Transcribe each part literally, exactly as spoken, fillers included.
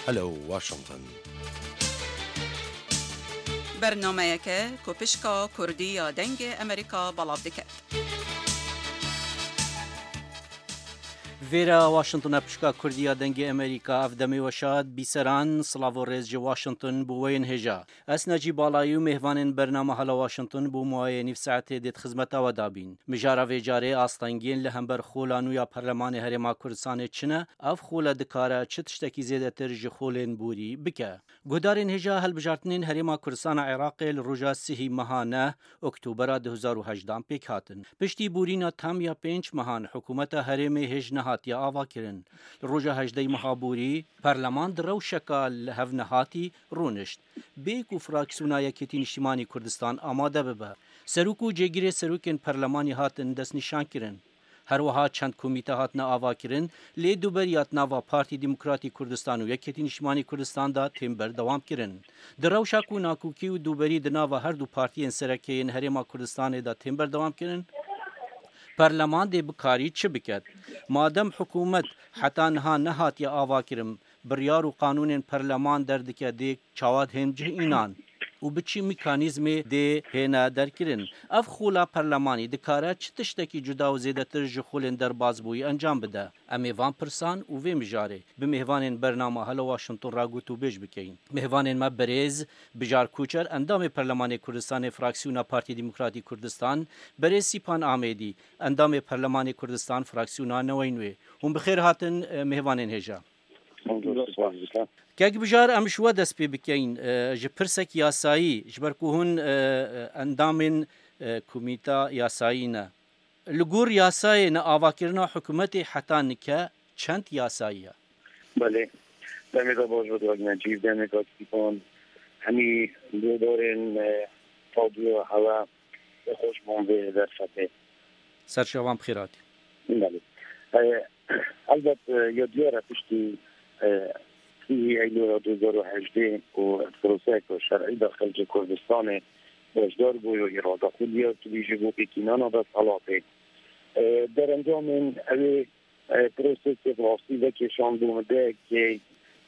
Hello Washington. Bernameyeke ku pişka Kurdî ya Dengê Amerîka belav dike. Vêra Washington e, pişka Kurdî ya Dengê Amerîka. Ev demê we şad, bîseran, silav û rêz ji Washington bo we yên hêja. Ez Necîb Balayî û mêvanên bernama Hala Washington bo maweyê nîv saetê dê di xizmeta we de bîn. Mijara vê carê astengiyên li hember xola nû ya Perlemanê Herêma Kurdistanê çi ne? Ev xole dikare çi tiştekî zêdetir ji xolên borî bike? Guhdarên hêja, hilbijartinên Herêma Kurdistana Iraqê li roja sihî meha neh Oktobera du hezar û hejdehan pêk hatin. Piştî borîna tam ya pênc mehan hikûmeta herêmê hêj nehatiye avakirin. Li roja hejdehê meha borî, Perleman di rewşeka li hev nehatî rûnişt. Bê ku fraksiyona Yekêtî Niştîmanî Kurdistan amade bibe. Serok û cêgirê serokên perlemanî hatin destnîşankirin. Her wiha çend komîte hatine avakirin, lê duberiya di nava Partî Demokratî Kurdistan û Yekêtî Niştîmanî Kurdistan de tên berdewamkirin. Di rewşa ku nakokî û duberî di nava her du partiyên sereke yên Herêma Kurdistanê de tên berdewamkirin, Perleman dê bikarî çi biket? Madem hikûmet heta niha nehatiye avakirin, biryar û qanûnên perleman derdike, dê çawa hên cih înan û bi çi mekanîzmê dê hêne derkirin? Ev xola perlemanî dikare çi tiştekî cuda û zêdetir ji xolên derbasbûyî encam bide? Em ê van pirsan û vê mijarê bi mêvanên bernama Hala Washington re gotûbêj bikeyin. Mêvanên me: berêz Bijar Koçer, endamê Perlemanê Kurdistanê, fraksiyona Partî Demokratî Kurdistan; berêz Sîpan Amêdî, endamê Perlemanê Kurdistan, fraksiyona Neweyn Wê. Hûn bi xêr hatin, e, mêvanên hêja. Kek Bijar, em ji we dest pê bikeyin, e, ji pirsek yasayî, ji ber ku hûn, e, e, endamên, e, komîta yasayî ne. Li gor yasayê ne, avakirina hikûmetê heta nike çend yasayî ye? Belê. Demê te baş be, Kak Necîb, demê Kak Stîfan. Hemî guhdarên, e, radyoya hewe, xweş bûn vê derfetê. Ser çavan bi xêr hatî. Belê. E, elbet, e, ya diyar e, piştî, e, sî Eylûla du hezar û hejdeh ku proseyeke şer'î de xelkê Kurdistanê beşdar bû, ya îrada xwe diyar kirî ji bo pêkînana desthilatê. E, derencamên evê, e, prosesê bi rastî vekêşan bû mideyekê,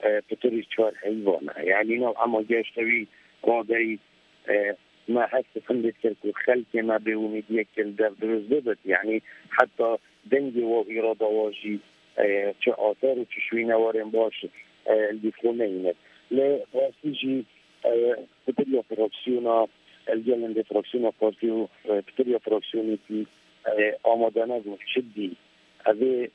e, pitirî çar heyvan e. Yanî nav ema geşte wî raderî, e, me hest û findê dikir ku xelkê me bêumîdiyek li dev dirust bibit. Yanî heta dengê we û îrada we jî, e, çi aser û çi şûynewarên baş, e, li dîv xwe neyîne. Lê rastî jî, e, pitir ya fraksiyona, e, gelên dê fraksiyona partî û, e, pitir ya fraksiyonekî, e, amade nebûn. Çi dî? Evê,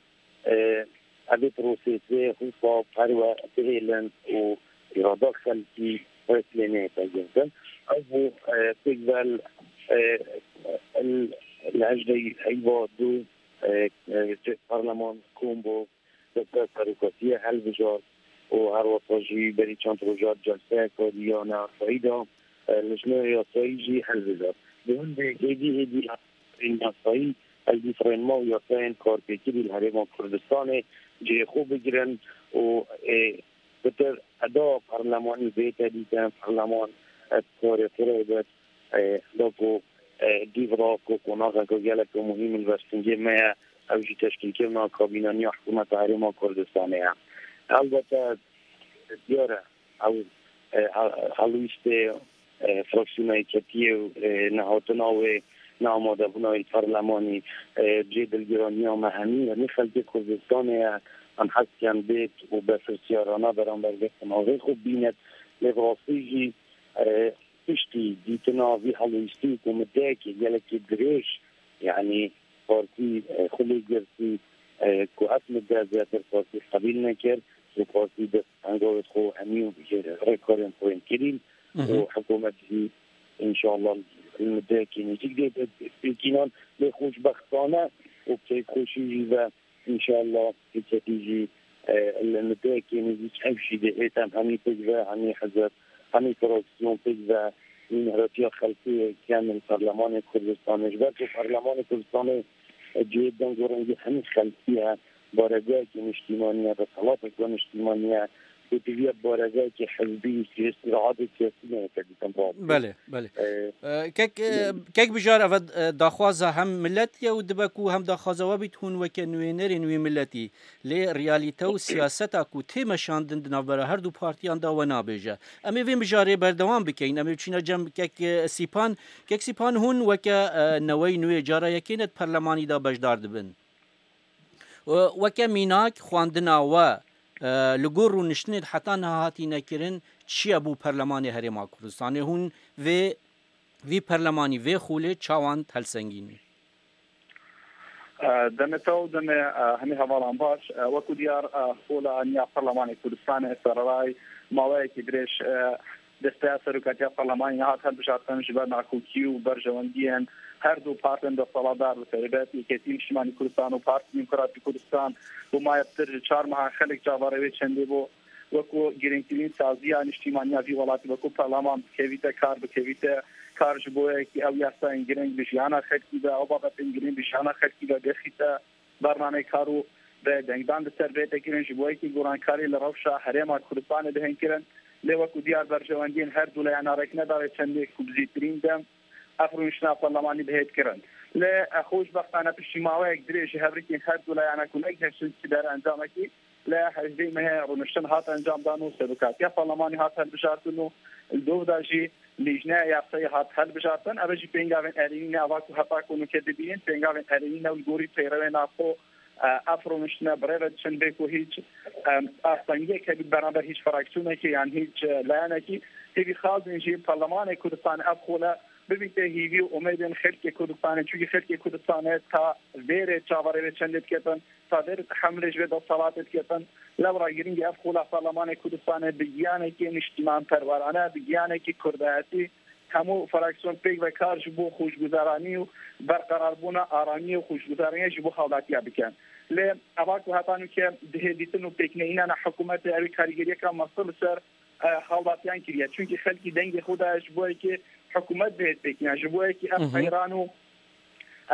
e, evê prosesê hûsa perwe bihêlin û îrada xelkî rêslê neyête girtin. Ev bû, e, pêk ve, e, li hejdehê heyva du, e, e, cih parleman kom bû, destber serokatiye hilbijart û her wesa jî berî çend roja celseyeke diyane yasayî de, e, lijneya yasayî jî hilbijart. Bi hindê hêdî hêdî yasayên yasayî, ez dî rênma û yasayên karpêkirî li Herêma Kurdistanê cihê xwe bigirin û, e, pitir eda parlemanî bête dîtin, parleman, e, karê xwe re bit, e, da ku, e, dîv re ku qonaxeke gelek muhîm li bersingê me ye, ew jî teşkîlkirina kabînaniya hikûmeta Herêma Kurdistanê ye. Elbete diyar e, ew, e, he-, helwîstê, e, fraksiyona Yeketiyê û, e, nehatina wê, neamadebûna wê li parlemanî, e, cihê dilgiraniya me hemî, hemî xelkê Kurdistanê ye. Em hez dikin bêt û berpirsiyarane beramber vê qonaxê xwe bîne. Lê bi rastî jî, e, piştî dîtina vî helwîstî ku mideyekê gelekî dirêj, yanî partî, e, xwe lê girtî, e, ku ev mide zêdetir partî qebîl nekir û partî dest hengavê xwe hemî ji rêkarên xwe yên kirîn Mhm. û hikûmet jî înşallah li mideyekî nêzîk dê pêkînan. Lê xweşbextane û bi keyfxweşî jî ve înşallah hikûmetî jî, e, li mideyekî nêzîk ev jî dê hêt em hemî pêk ve, hemî hizb, hemî fraksiyon pêk ve, wî mihratiya xelkê kem li Parlemanê Kurdistanê. Ji ber ku Parlemanê Kurdistanê, e, cihê deng û rengê hemî xelkî ye, baregehekî niştîmanî ye, desthilateke niştîmanî ye, Ku tu viya baregekî hizbî, siyasî, rahatê siyasî neyê te dîtin rast. Belê, belê. Ee, Ee, kek, e, belê. Kek Bijar, eve, e, daxwaza hem milletî ye û dibe ku hem daxwaza we bît hûn weke nûênerên wî milletî. Lê realîte û siyaseta ku tê meşandin di navbera her du partiyan de we nabêje. Em ê vê mijarê berdewam bikeyin. Em ê çîna cem kek, e, Sîpan. Kek Sîpan, hûn weke, e, newey nûê cara yekê ne di perlemanî de beşdar dibin. E, weke mînak xwendina we, e, li gor rûniştinê heta niha hatîne kirin, çi ye bo Perlemanê Herêma Kurdistanê? Hûn vê, vî perlemanî, vê xolê çawan helsengînî? E, demê te û demê, e, hemî hevalan baş. E, wekû diyar, e, xola niya Perlemanê Kurdistanê sererayî maweyekî dirêj, e, desteya serokatiya Perlemanî nehat hilbijartin ji ber nakokî û berjewendiyên her du partên desthilatdar, bi taybet Yeketî Niştimanî Kurdistan û Partî Demokratî Kurdistan, bo maye pitir ji çar mehan xelk çaverê wê çendê bû. Wekû girîngtirîn saziya niştîmaniya vî welatî, wekû perleman bikevîte kar, bikevîte kar ji bo yekî ew yasayên girîng bi jiyana xelkî ve, ew babetên girîng bi jiyana xelkî ve bêxîte bernameyê kar û bi dengdan di ser vê tê kirin, ji bo yekî gorankarî li rewşa Herêma Kurdistanê bihên kirin. Lê wekû diyar berjewendiyên her du leyana rêk nedare çendê ku bi zîtirîn dem ev rûniştina perlemanî bihêt kirin. Lê, e, xweşbextane piştî maweyek dirêj ji hevrikên her du leyane ku negihiştin çi derencamekî, li hejdê mehê rûniştin hat encamdan û serokatiya perlemanî hat hilbijartin û li dov de jî lîjneya yasayê hat hilbijartin. Ev jî pêngavên erênî ne, ava ku heta ku nûke dibînin, pêngavên erênî ne û li gorî peyrewên xwe, e, ev rûniştine bi rê ve diçin, bê ku hîç, e, astengiyek hebî beraber hîç fraksiyonekê yan hîç, e, layenekî. Hêvî xazin jî Perlemanê Kurdistan ev xole bibîte hîvî û umêdên xelkê Kurdistanê, çunkî xelkê Kurdistanê ta vêrê çaverê vê çendê diketin, ta vêrê tehemilê ji vê desthilatê diketin. Lewra girîng e ev xola Perlemanê Kurdistanê bi giyanekî niştîmanperwerane, bi giyanekî kurdayetî, hemû fraksiyon pêk ve kar ji bo xweşguzaranî û berqerarbûna aramiyê û xweşguzaraniyê ji bo hawlatiya bikin. Lê eva ku heta nûke dihê dîtin û pêkneyînana hikûmetê, ew ê karîgeriyeka mezin li ser, e, hawlatiyan kiriye. Çunkî xelkî dengê xwe daye ji bo yekê hikûmet bihêt pêkînan, ji bo yekî ev Hı hı. qeyran û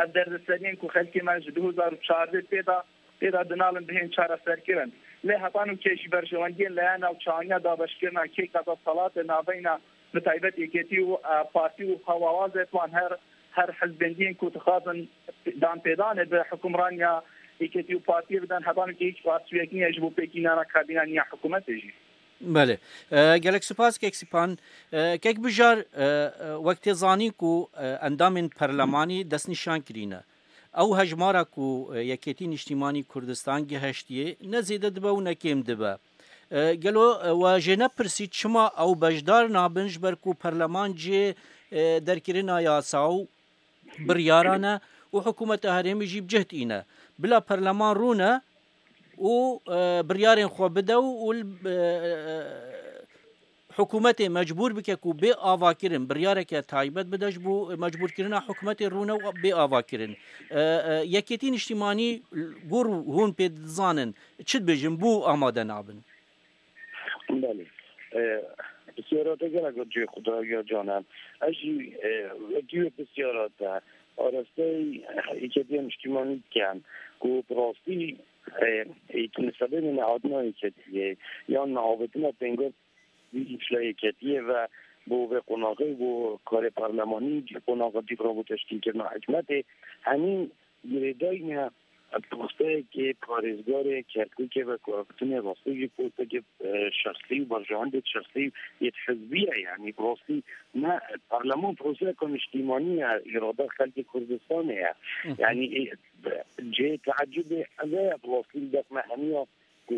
ev derdeseriyan ku xelkê me ji du hezar û çardeh pê de, pê de dinalin bihên çareserkirin. Lê heta nûke jî berjewendiyên layan navçeaniya dabeşkirina kêka desthilatê navbeyna bi taybet Yeketî û, e, Partî û hewawazê wan her, her hizbendiyên ku dixwazin danpêdanê bi hukimraniya Yeketî û Partiyê bidin, heta nûke hîç rastiyek niye ji bo pêkînana kabîna niya hikûmetê jî. Belê. E, gelek spas kek Sîpan. E, kek Bijar, e, e, wek tê zanîn ku, e, endamên perlemanî destnîşan kirîne. Ew hejmara ku, e, Yekêtî Niştîmanî Kurdistan gihiştiye, ne zêde dibe û ne kêm dibe. E, gelo, e, we jê nepirsî çima ew beşdar nabin, ji ber ku perleman cihê, e, derkirina yasa û biryara ne û hikûmeta herêmê jî bi cih tîne. Bila perleman rûne û, e, biryarên xwe bide û, û li, e, e, hikûmetê mecbûr bike ku bê avakirin, biryareke taybet bide ji bo mecbûrkirina hikûmetê rûne û bê avakirin. E, e, Yekêtî Niştîmanî gor hûn pê dizanin, çi dibêjin, bo amade nabin? Belê. E, pisyara te gelek cihê xwe daye ya Canan. Ez jî, e, wekî wê pisyara te arasteyî, e, Yeketiya Niştîmanî dikim ku bi rastî, e, e, nisebê nehatina Yeketiyê yan neavêtina pêngavê îşla Yeketiyê ve bo vê qonaxê, bo karê parlemanî, qonaxa dî re bo teşkîlkirina hikûmetê, hemî girêdayî ne. Posteyekê parêzgarê Kerkûkê ve ku ev tune rastî jî postekê, e, şexsî û berjewendê şexsî yê hizbî ye, yanî bi rastî ne parleman proseyeka niştîmanî ye, îrada xelkê Kurdistanê ye. Hı hı. Yanî, e, cihê teecibê ev e, bi rastî li def me hemiya ku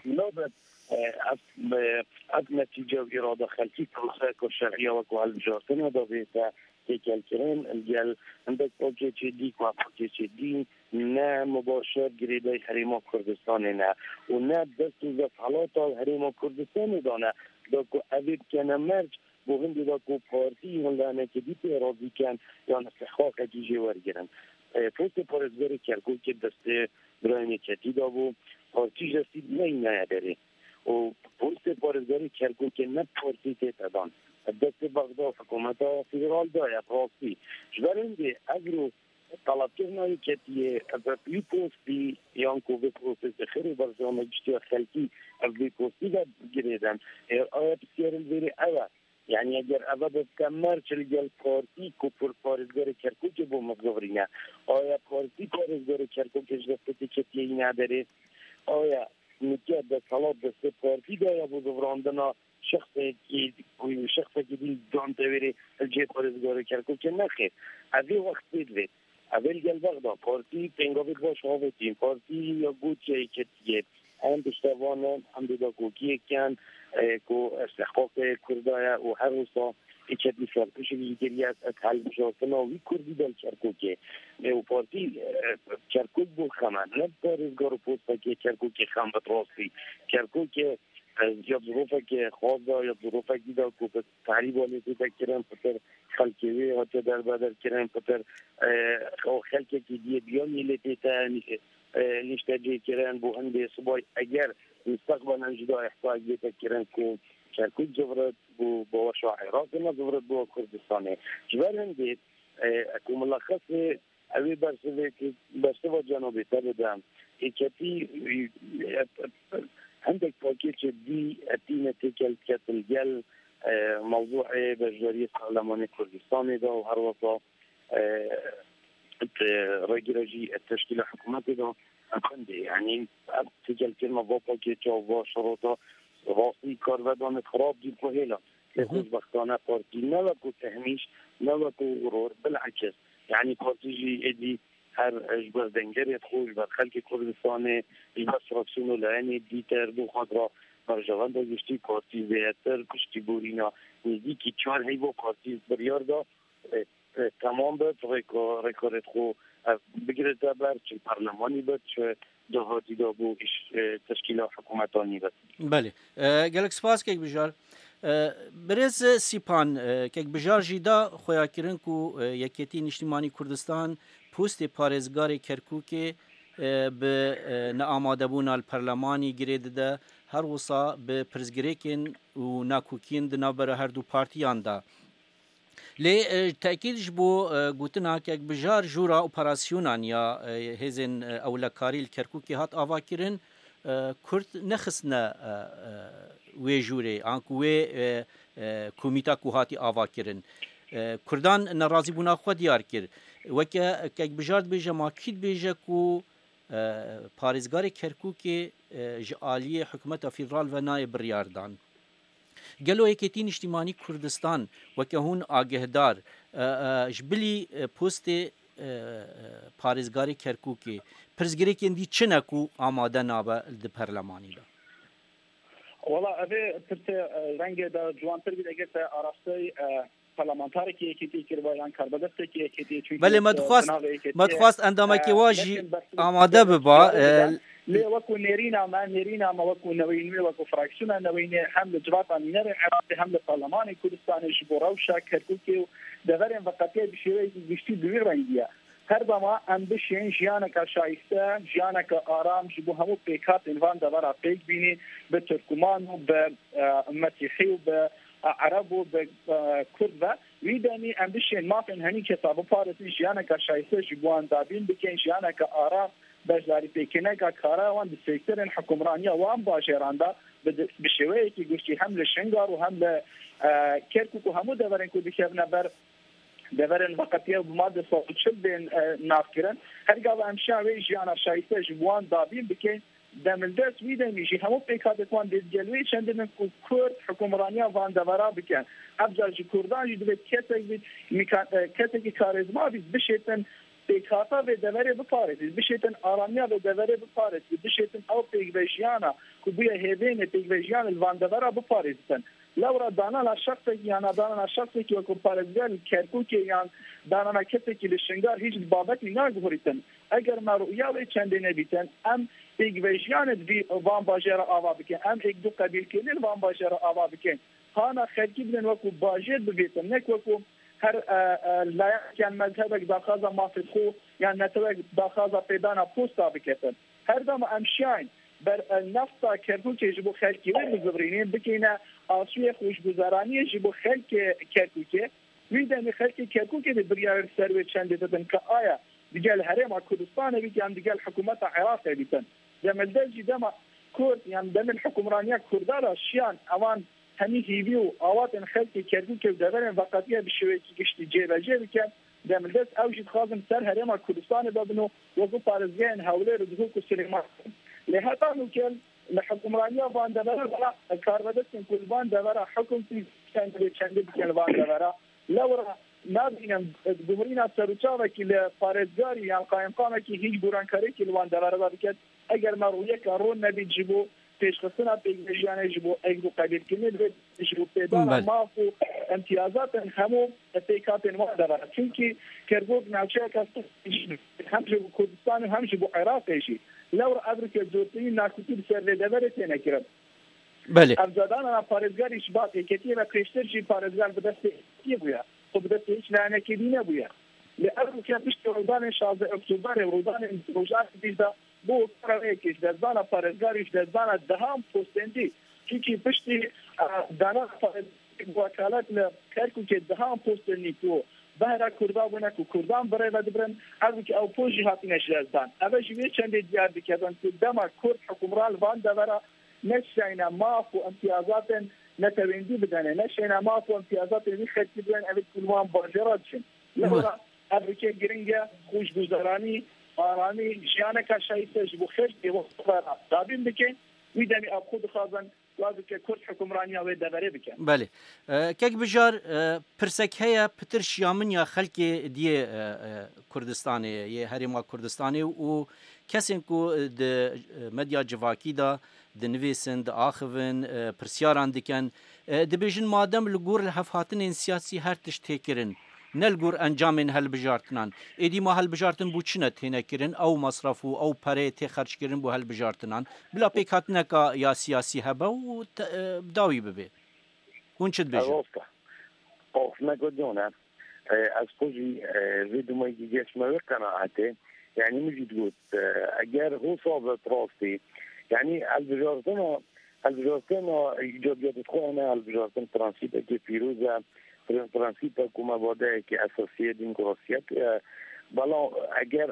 nabe, e, ev, e, ev netîce û îrada xelkî proseyeka şerî ya wek hilbijartinê de bête têkelkirin, li gel hindek pakêçê dî ku ev pakêçê dî ne mubaşer girêdayî Herêma Kurdistanê ne û ne dest û desthelata Herêma Kurdistanê de ne, da ku ev ê bikene merc bo hindê de ku partî yan lehenekê dî pê razî ken yan îstihqaqekî jê wergirin. E, postê parêzgarê Kerkûkê destê birayên Yeketî de bû, partî ji destî neyînaye derê. Û postê parêzgarê Kerkûkê ne partî tête dan. Destê Bexda hikûmeta federal daye, bi rastî. Ji ber hindê ev ro Talebkirina yeketiyê, ev vê postî yan ku vê prosesê xêr û berjama giştî ya xelkî ev vê postî ve girêdin. Ê, aya pisyarê li vêrê ew e. Yani eger eve bibke merç li gel partî ku pir parêzgarê Kerkûkê bo min zivirîne. Aya partî parêzgarê Kerkûkê ji destê yeketiyê yîne derê. Aya nike desthilat destê partî de ya bo zivirandina şexsekî, şexsekî din dan tevêrê li cihê parêzgarê Kerkûkê nexêr. Ev ê wext pê divê. Ev ê li gel bexda. Partî pêngavê baş avêtîn. Partî ya gotiye yeketiyê. Em piştevan in, em dê dakokiyê kin, e, ku istihqaqê Kurda ye û her wisa yeketî serpişik ji geriye ez helbijartina wî Kurdî de li Kerkûkê. E, û partî, e, Kerkûk bo xem e. Ne parêzgar û postekê Kerkûkê xem bi rastî. Kerkûkê, e, ya zirofekê xas da, ya zirofekî da ku bi tehrîba lê tête kirin, pitir xelkê wê hatiye derbeder kirin, pitir, e, xelkekî diyê biyanî lê tête, e, niştecêkirin bo hindê sibay. Eger mustaqbelen jî da îhsayek bête kirin ku Kerkûk zivirit, bo, bo weşa Iraqê ne zivirit bo Kurdistanê. Ji ber hindê, e, ku milexesê ew ê bersivê ku bersiva cenabê te bide. Êketî, e, e, hindek pakêçê dî etîne têkel ketin gel, e, mewzûê beşdariyê parlemanê Kurdistanê de û her wesa, e, e, rêgire jî, e, teşkîla hikûmetê de. Em hindê, yanî, ev têkelkirina va pakêça, va şerota, rastî kar vedane xirab dî ku hêla. Lê Hı hı. xweşbextane partî ne wekû Tehmîş, ne wekû Ror, bilakis. Yanî partî jî êdî her ji ber dengerê xwe, ji ber xelkê Kurdistanê, ji ber fraksiyon û layînê dîtir bo xwe re berjewenda giştî partî zêdetir piştî borîna nêzîkî çar heyva partî biryar da, e, e, temam bit, rêka-, rêkarê xwe ev bigirite ber, çi parlemanî bit, çi dahatî de bo îş, e, teşkîla hikûmetanî bit. Belê. E, gelek spas kek Bijar. E, birêz Sîpan, e, kek Bijar jî da xweyakirin ku, e, Yekêtî Niştîmanî Kurdistan postê parêzgarê Kerkûkê, e, bi, e, neamadebûna li perlemanî girê dide, her wisa bi pirsgirêkên û nakokiyên di navbera her du partiyan de. Lê, e, tekîd ji bo, e, gotina kek Bijar, jûra operasyonan ya, e, hêzên, e, ewlekarî li Kerkûkê hat avakirin, e, Kurd nexistine, e, e, wê jûrê, anku wê, e, e, komîta ku hatî avakirin. E, Kurdan nerazîbûna xwe diyar kir. Weke kek Bijar dibêje, ma kî dibêje ku, e, parêzgarê Kerkûkê, e, ji aliyê hikûmeta federal ve nayê biryardan? Gelo Yekêtî Niştîmanî Kurdistan weke hûn agehdar, e, e, ji bilî, e, postê, e, e, parêzgarê Kerkûkê pirsgirêkên dî çi ne ku amade nabe di perlemanî de? Wala, evê pirsê, e, rengê de ciwantir bît eger te arastey, e, parlamentarekî Yekêtî kiriba yan karbedestekî Yekêtî, çunkî Belê, me dixwast, binavê Yekêtî me ye. dixwast endamekê E, wa jî nekin bersiv amade biba, e, Lê wekû nêrîna me, nêrîna me wekû Neweyîn wê, wekû fraksiyona Neweyînê hem li civata nûnerên Iraqê hem li Parlemanê Kurdistanê ji bo rewşa Kerkûkê û deverên veqetiyê bi şêweyekî giştî bi wî rengî ye. Her dema em bişên jiyaneke şayîste, jiyaneke aram ji bo hemû pêkhatên van devera pêk bînî, bi Tirkûman û bi, e, Mesîhî û bi, e, Ereb û bi, e, Kurd ve, wî demî em bişên mafên henî kesa biparêzin, jiyaneke şayîste ji bo wan dabîn bikin, jiyaneke aram, beşdarîpêkirineka kara wan di sektorên hukimraniya wan bajêran de bi, bi şêweyekî giştî hem li Şingal û hem li, e, Kerkûk û hemû deverên ku dikevine ber deverên veqetiye û bi madde sed û çil bên, e, navkirin. Her gava em şiyan wê jiyana şayîste ji bo wan dabîn bikin, demildest wî demî jî hemû pêkhatên wan dê digel wê çendin ku Kurd hukimraniya van devera bikin. Ev car ji Kurdan jî divê kesek bît, mîkan-, e, kesekî karêzma bît, bişêtin pêkhata vê deverê biparêzî, bişêtin aramiya vê deverê biparêzî, bişêtin ew pêkvejiyana ku bûye hêvênê pêkvejiyanê li van devera biparêzitin. Lewra danana şexsekî yan danana şexsekî wekû parêzger li Kerkûkê yan danana kesekî li Şingal hîç bi babetî naguhurîtin. Eger me rûya wê çendê nebîtin, em pêkvejiyanê di vî van bajêra ava bikin, em êk du qebîlkirinê li van bajêra ava bikin. Hana xelkî bidin wekû bajêr bibêtin, nek wekû her, e, e, layeqek yan mezhebek daxwaza mafê xwe yan netewek daxwaza pêdana posta biketin. Her dema em şiyayîn ber, e, nefta Kerkûkê ji bo xelkê wê bizivirînê, bikeyne asûyê xweşguzaraniyê ji bo xelkê Kerkûkê, wî demê xelkê Kerkûkê dê biryar li ser wê çendê bidin ke aya digel Herêma Kurdistanê bît yan digel hikûmeta Iraqê bîtin. Demildest jî dema Kurd yan demên hikûmraniya Kurda ra şiyan, ewan hemî hîvî û awatên xelkê Kerkûkê û deverên veqetiye bi şêweyekî giştî cêbecê bikin. Demildest ew jî dixwazin ser Herêma Kurdistanê bibin û wekî parêzgehên Hewlêr û Duhok û Silêmaniyê. Lê heta nûke li hikûmraniya van devera de karvedestên ku li van devera hikûm kir, çendê çendê dikin li van devera. Lewra nabînim gumrîna serûçavekî li parêzgarî yan qayimqamekî hîç gorankariyekî li van devera de biket. Eger me rûyeka ron nebît ji bo pêşxistina pêkvejiyanê, ji bo êk û qebîlkirinê divê, ji bo pêdana Belê. maf û imtiyazatên hemû pêkhatên wan devera. Çimkî Kerkûk navçeyeka stratejîk hem ji bo Kurdistan û hem ji bo Iraqê jî. Lewra ev rike zortirîn nakutî li ser vê deverê têne kirin. Belê. Ev cadana parêzgarî ji ba yeketiyê ve pêştir jî parêzgar bi destê yeketiyê bûye. Xwe bi destê hiç layenekê dî nebûye. Lê ev rike piştî rûdanên şazdeh Oktoberê û rûdanên Rojavê dîsa bû kara wê yekê ji destdana parêzgarî, ji destdana dehan postên dî. Çimkî piştî, e, dana parêzgarî bi wekalet li Kerkûkê dehan postên dî ku behra Kurda bûne, ku Kurdan bi rê ve dibirin, ev rike ew post jî hatine ji destdan. Ev jî wê çendê diyar dike, ku dema Kurd hikûmran li van devera neşeyne maf û imtiyazatên neteweyî bidene, neşeyne maf û imtiyazatên wî xelkî bidene, ev ê ku li wan bajêra diçin. Lewra ev rike giring e, xweşguzaranî, aramî, jiyaneka şayîste ji bo xelkê wan devera dabîn bike. Wî demî ev xwe dixwazin, wa bike Kurd hikûmraniya wê deverê bike. Belê. E, kek Bijar, e, pirsek heye, pitir şiya min ya xelkê diyê, e, e, Kurdistanê, yê Herêma Kurdistanê û kesên ku di, e, medya civakî de dinivîsin, diaxivin, e, pirsyaran dikin. E, dibêjin madem li gor lihevhatinên siyasî her tişt tê kirin, ne li gor encamên hilbijartinan, êdî ma hilbijartin bo çi ne têne kirin, ew mesref û ew pereyê tê xerckirin bo hilbijartinan, bila pêkhatineka ya siyasî hebe û te-, e, dawî bibe. Hûn çi dibêjin? Ev rast e. Of, me got, John, e. E, ez xwe jî, e, vê dumekî geşme wê qenaetê. Yanî min jî digot, e, eger hosa be bi rastî, yanî hilbijartina, hilbijartina îcabiyatê xwe hene, hilbijartin prensîpekê pîroz e, pre-, prensîpek ku mebadeyekê esasî ye, demokrasiyet e. Bela eger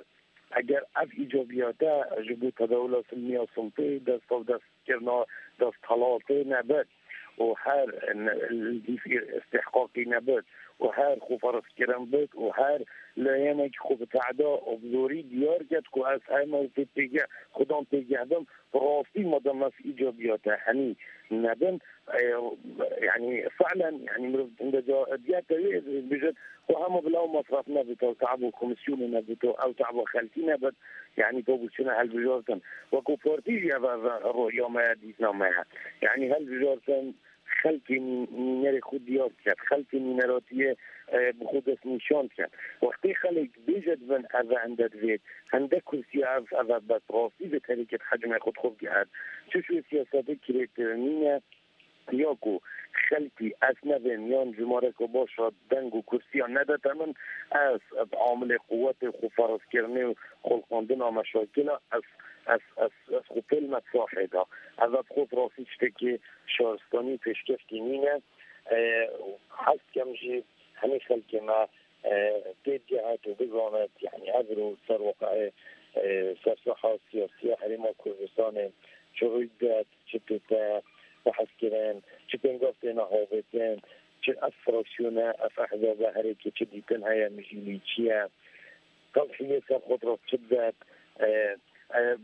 Eger ev îcabiyate ji bo tedawula silmiya sultê, dest bi dest kirina desthilatê nebit û her n-, îstihqaqî nebit û her xweferzkirin bit û her layenekî xwe bi tehda û bi zorî diyar ket ku ez heme wekî pêge-, xudan pêgeh bim, bi rastî madem ev îcabiyate henî nebin, e, yanî fi'len, yanî mirov hinde ca diyar te wê bijit, Xwe hema bila ew masraf nebûto, ew te'b û komîsyonê nebûto, ew te'ba xelkî nebit, yanî to bû çine hilbijartin. Wekû partî jî ev, ev roya me ye, dîtina me ye. Yanî hilbijartin, xelkê nî-, nînerê xwe diyar diket, xelkê nîneratiyê, e, bi xwe destnîşan diket. Wextê xelk bêje dibin ev e hinde divêt, hinde kursiya ev, ev e bes rastî vê herêkê di hecmê xwe dixwe bigihet. Çi şû siyasetê kirêtirinî ne, ya ku xelkî ez nevêm yan jimareka baş a deng û kursiya nedete min, ez bi amilê quwetê xwe ferezkirinê û xulqandina meşakila ez, ez, ez, ez xwe pêl me sahê de. Ev, ev xwe bi rastî tiştekî şaristanî û pêşkevkî nîne. E, hez dikem jî hemî xelkê me e, têbigehet û bizanit, yanî evro ser weqayê, e, ser saha siyasî ya Herêma Kurdistanê çi rûy didet, çi tête behs kirin, çi pêngav têne avêtin, çi ev fraksiyone, ev ehzabe herêkê çi dîtin heye, mijîlî çi ye, qelxiyê ser xwe re çi didet, e, e,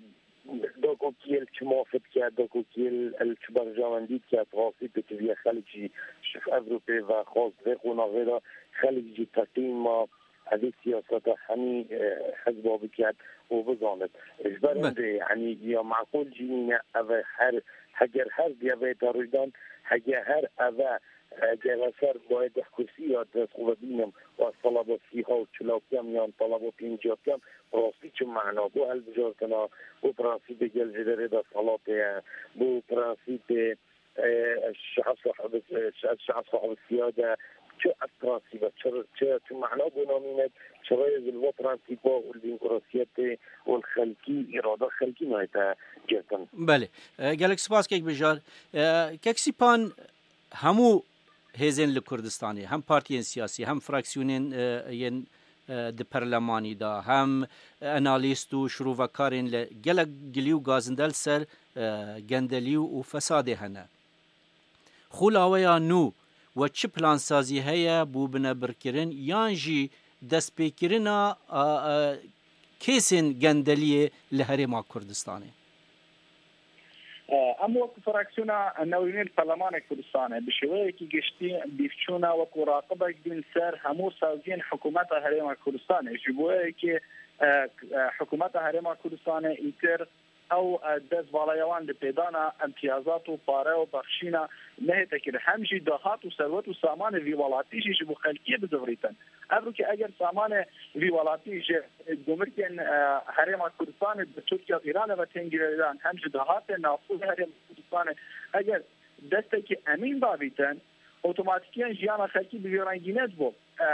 Dokokiyê li çi mafê dike, dokokiyê li çi berjewendî dike, bi rastî pêtiviye xelk jî ji Ewropê ve xwest vê qonaxê de xelk jî teslîma evê siyaseta hemî, e, hizba biket û bizanit. Ji ber Be- hindê, yanî ya meqûl jî nîne, ev e her, heger her diye vê te rûydan, heger her ev e, Eger ez her bayê deh kursî ya dest xwe ve bînim û ez talaba sîha û çila bikem yan talaba pêncî ya bikem, bi rastî çi mana bo hilbijartina, bo prensîpê gel ji derê desthilatê ye, bo prensîpê, e, şe'b sahib, e, şe'b, şe'b sahib siyade, çi ev prensîp e, çi, çi, çi mana bo namîne, çi rêz li va prensîpa û li demokrasiyetê û li xelkî, îrada xelkî nayête girtin. Belê. E, gelek spas kek Bijar. E, kek Sîpan, hemû hêzên li Kurdistanê, hem partiyên siyasî, hem fraksiyonên, e, yên, e, di perlemanî de, hem analîst û şirovekarên li gelek gilî û gazinde li ser, e, gendelî û fesadê hene. Xûlaweya nû we çi plansazî heye bo binebirkirin yan jî destpêkirina, a, a, kêsên gendeliyê li Herêma Kurdistanê? Em wek fraksiyona newînê li Perlemanê Kurdistanê bi şêweyekî giştî bîvçûna wekû raqibek bîn ser hemû saziyên hikûmeta Herêma Kurdistanê. Ji bo yekê, e, e, hikûmeta Herêma Kurdistanê îtir ew, e, dest balayawan li pêdana imtiyazat û pare û bexşîna nehête kirin. Hem jî dahat û serwet û samanê vî welatî jî ji bo xelkê bizivirîtin. Ev rûkê eger samanê vî welatî ji gumrikên, e, Herêma Kurdistanê bi Tirkiye û Îranê ve tên girêdan, hem ji dahatê navxwe Herêma Kurdistanê eger destekî emîn davîtin, otomatîkiyan jiyana xelkî bi vî rengî nedibû. E,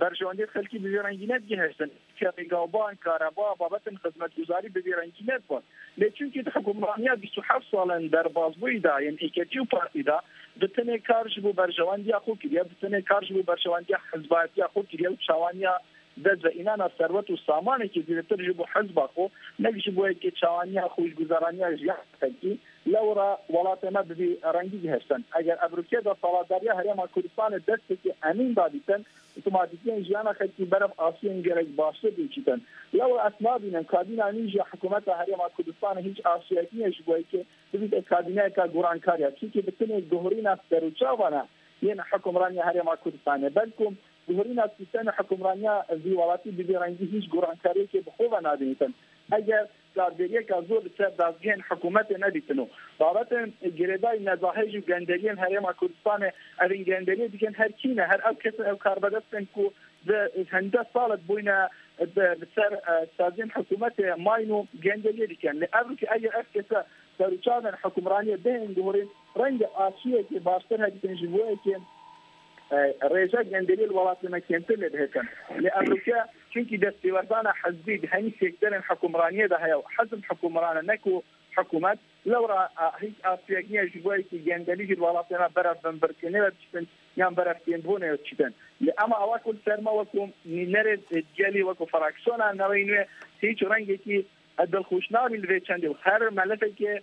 berjewendiyê xelkî bi vî rengî nedigihiştin. Pêgavban, kareba, babetên xizmetguzarî bi vî rengî nedibûn. Lê çunkî di hukmraniya bîst û heft salan derbazbûyî de yên êketî û partî de, bi tenê kar ji bo berjewendiya xwe kiriye, bi tenê kar ji bo berjewendiya hizbayetiya xwe kiriye û çawaniya dest ve înana serwet û samanekî zêdetir ji bo hizba xwe, ne jî ji bo yekê çawaniya xwe ji guzaraniya jiyan xelkî, lewra welatê me bi vî rengî gihiştin. Eger ev rûkê de saladariya Herêma Kurdistanê destekî emîn dadîtin, otomatîkiyên jiyana xelkî berev asiyên gelek baştir diçîtin. Lewra ez nabînim kabîna nî ji hikûmeta Herêma Kurdistanê hîç asiyek niye ji bo yekê bibîte kabîneyeka gorankariya. Çimkî bi tenê guhurîna serûçavana yên hikûmraniya Herêma Kurdistanê. Belkum guhurîna sîstemê hikûmraniya vî welatî bi vî rengî hîç gorankariyekê bi xwe ve nadinîtin. Eger karderiyeka zor li ser dazgehên hikûmetê nedîtin û babetên girêdayî nezahêj û genderiyên Herêma Kurdistanê, evên genderiyê dikin her kî ne, her ew kes, ew karbedest in ku di hende sal de bûyne bi, li ser, e, saziyên hikûmetê mayîn û genderiyê dikin. Lê ev rûkê eger ev kese serûçavên hikûmraniyê bihên guhurîn, renge aşiyekê baştir heditin ji bo yekê, e, rêja genderiyê li welatê me kêmtir lê dihitin. Lê ev rûke çunkî destêwerdana hizbî di hemî sektorên hikûmraniyê de heye û hizb hikûmran e, ne ku hikûmet, lewra, e, hîç asiyek niye ji bo yekê genderî jî li welatê me berev binbirkirinê ve diçitin yan berev kêmbûnê ve diçitin. Lê ema ewa ku li ser me wekû nînerê, e, gelî, wekû fraksiyona Newey Nû hîç rengekî e, dilxweş nabî li vê çendê û her melefekê,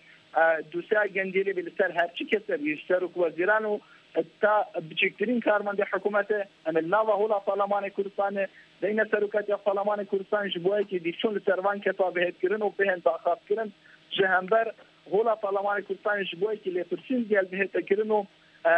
e, dosya genderê bê li ser her çi kese bî, ji serok wezîran û, e, ta biçûktirîn karmendê hikûmetê, em ê li nava hola Parlemanê Kurdistanê, beyne serokatiya Parlemanê Kurdistan ji bo yekê dîvçûn li ser van kesa bihêvkirin û bihên daxazkirin ji hember hola Parlemanê Kurdistanê ji bo yekê lêpirsîn digel bihête kirin û, e,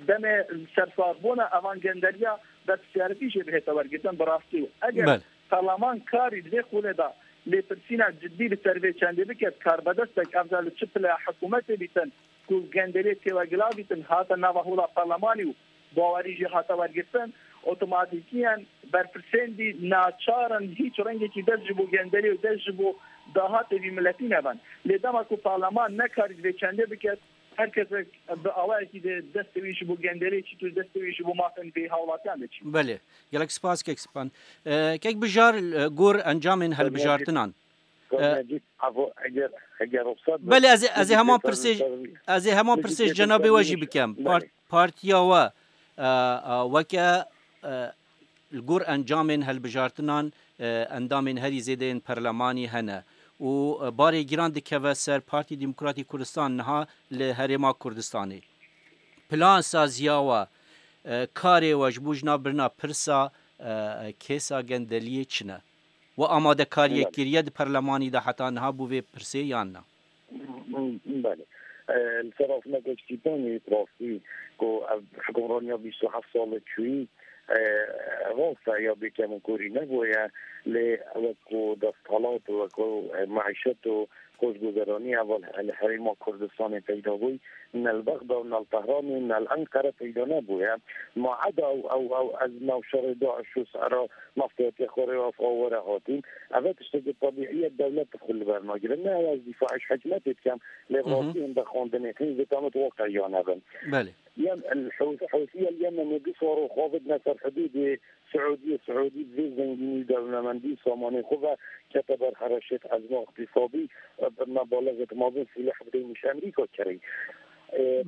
demê sersazbûna evan genderiya berpirsyarîtî jê bihête wergirtin bi rastî û eger Belê. Parleman karî di vê xulê de lêpirsîna cidî li ser vê çendê biket, karbedestek, ev jî li çi pile hikûmetê bîtin, ku genderiyê têwegila bîtin, hate nava hola parlemanî û bawerî jê hate wergirtin, otomatîkiyen berpirsên dî naçar in hîç rengekî dest ji bo genderiyê û dest ji bo dahatê vî miletî nebin. Lê dema ku parleman nekarî di vê çendê biket, her kesek bi awayekî de destê wî ji bo genderiyê çît û destê wî ji bo mafên vê hawlatiyan de çît. Belê. Gelek spas, kek Span. E, kek Bijar, e, gor encamên helbijartinan. Kek E, Necîb, evo, eger, eger ruxsat be, Belê, ez ê, ez ê heman pirsê, ez ê heman pirsê cenabê we jî bikem. Part-, partiya we, e, e, weke, e, li gor encamên helbijartinan, e, endamên herî zêde yên perlemanî hene û, e, barê giran dikeve ser Partî Demokratîk Kurdistan niha li Herêma Kurdistanê. Plan saziya we, e, karê we ji bo jina birina pirsa, e, kêsa gendeliyê çi ne? We amadekariyek kiriye di perlemanî de heta niha bo vê pirsê yan na? Belê. E, li ser rafina Geştîtanê rastî ku ev hikûmraniya bîst û heft sal çûyî, e, rast e ya bêkemûkorî nebûye, lê wek ku desthilat û wek ku, e, meîşet û xweşguzeranî heval li Herêma Kurdistanê peyda bûyî, ne li Bexda û ne li Tehranê û ne li Enqere peyda nebûye. Ma eda ew, ew, ew ez navşerê DAIŞ û sera naftiyatiya xwe rê ev awere hatîn. Ev e tiştekî tebîî ye, dewlet xwe li ber nagire. Ne ew ez dîfaê ji hikûmetê dikem, lê Hı hı. rastiyên vexwendinê hîn vê demê waqeyan hebin. Belê. Yem el Hûs-, Hûsiya li Yemenê du sor û xwe vedine ser hidûdê Siûdiyê. Siûdî bi vê zengînî û dewlemendî û samanê xwe ve kete ber hereşêt ezma îqtîsadî, birine balezêt mezin sîleh bideyne ji Amerîka kerê.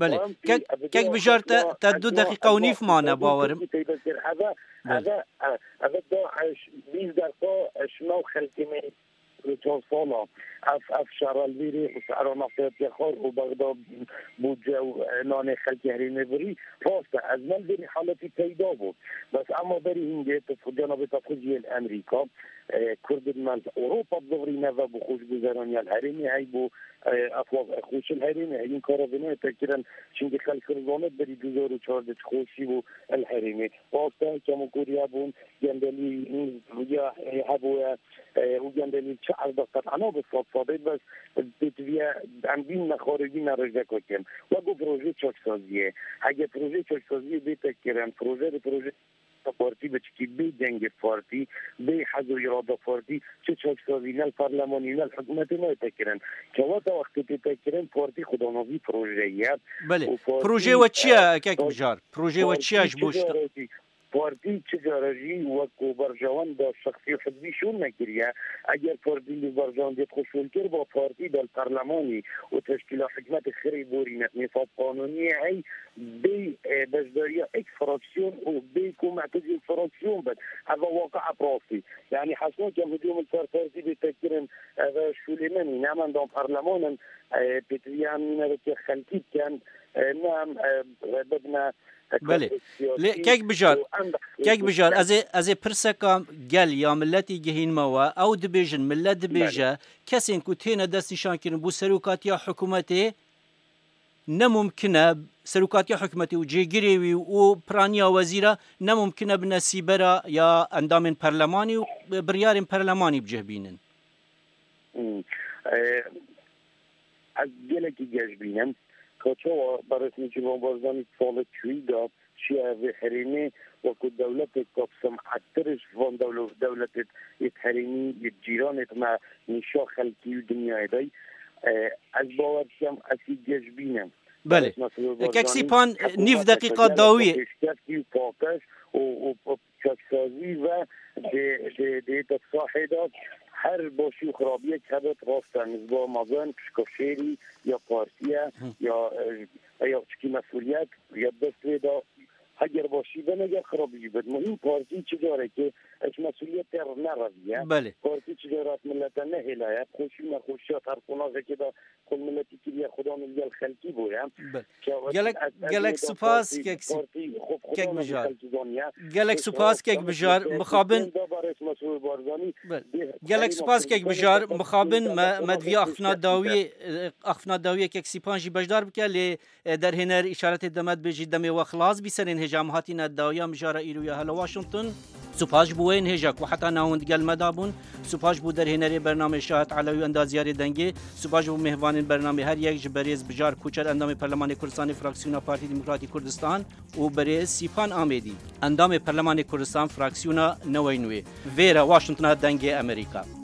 Belê. Kek, kek Bijar, te, te du deqîqa û nîv mane, bawerim. Belê. Eve, eve, eve DAIŞ bîst derqa şima û xelkê me çar sala. Ev, ev şerelvîrê û şehra neftiya Cexar û Bexda bû cew, e, nanê xelkê herêmê birî. Rast e, ez ne li vêrî haletî peyda bû. Bes ema berî hingê tu cenabê te xwe jiyê li Emerîka, e, Kurdin me li Ewropa dizivirîne ve bû xweşguzeraniya li herêmê heybû, e, ev xweşil herêmê heyîn kara vê nayê te kirin. Çimkî xelk dizanet berî du hezar û çardeh çi xweşî bû li herêmê. Rast e, kemokoriya bûn, gendelî ya, e, hebûye, e, û gendelî çi erd de qet ana bi sed sedê, bes pêtiviye em bîn nexwarê bîne rêjeka kem. Wek ku proje çaksaziyê. Hege proje çaksaziyê bête kirin, proje bi proje partî biçikî bê dengê partî, bê hez û îrada partî, çi çaksazî ne li parlemanî ne li hikûmetê nayête kirin. Kewata wextê tête kirin, partî xwe danavî projeyê. Belê. Û partî, Projeyê we çi ye, e, kek Bijar? Projeyê we çi ye ji bo şta- Partî çi cara jî wek ku berjewenda şexsî û hizbî şûn nekiriye. Eger partî li berjewendiyê xwe şûn kir, ba partî bel perlemanî û teşkîla hikûmetê xirê borîne, nîsab qanûniyê hey bê, e, beşdariya ek fraksiyon û bê ku merkezê fraksiyon bin. Eva waqia rastî. Yani hesno kem hicûm li ser partî bê tekirin, eve şûlê me nîne, em endam perleman in, e, pêtiviya em nîne vekê xelkî bikin, e, ne em, e, bibine Belê. Lê kek Bijar, kek Bijar, ez ê, ez ê pirseka gel ya milletî gihînme we. Ew dibêjin, millet dibêje, Belê. kesên ku têne destnîşankirin bo serokatiya hikûmetê ne mumkin e, serokatiya hikûmetê û cêgirê wî û piraniya wezîra ne mumkin e bine sîbera ya endamên perlemanî û biryarên perlemanî bi cih bînin. Hmm. E, ez gelekî geş bînim. Ka çawa berêz Nêçîrvan Barzanî salê çûyî de çûye vê herêmê, wekû dewletek ka bi sem'ettir ji van dewle-, dewletê yê herêmî, yê cîranê me nîşa xelkî û dinyayê day. E, ez bawer dikim, ez ê geş bînim. Belê. Berêz Mesrûr Kek Barzanî Sîpan, hep nîv deqîqa dawiyê. Pêşkeftî û paqij û, û, û çaksazî ve dê, dê, dê te sahê de her başî û xirabiyek hebit, rast e, nizba mezin, pişka şêrî ya partiye, Hı. ya, e, ya çikî mesuliyet, ya dest wê de, heger başî be, neger xirabî jî bit. Muhîm partî çi carekê ji mesuliyetê nereviye. Belê. Partî çi caret millete nehêlaye, xweşî û nexweşiya her qonagekê de Xwe miletî kiriye, xudan li gel xelkî bûye. Belê. Gelek, gelek spas, kek Sî-, kek Bijar. Gelek spas, kek Bijar. Mixabin. Belê. Gelek spas, kek Bijar. Mixabin me, me divî axifna dawiyê, e, axifna dawiyê kek Sîpan jî beşdar bike, lê, e, derhêner îşaretê deme dibêjî demê we xilas bî, serên hêja em hatîne dawiya mijara îro ya Hello Washington. Spas ji bo wê yên hêja ku heta niha hûn digel me de bûn. Spas ji bo derhênerê bernamê Şahet Elewî û endaziyarê dengê. Spas ji bo mêvanên bernamê, her yek ji berêz Bijar Koçer, endamê Perlemanê Kurdistanê, fraksiyona Partî Demokratî Kurdistan, û berêz Sîpan Amêdî, endamê Perlemanê Kurdistan, fraksiyona Newey Nûyê. Vêre Washingtona Dengê Amerîka.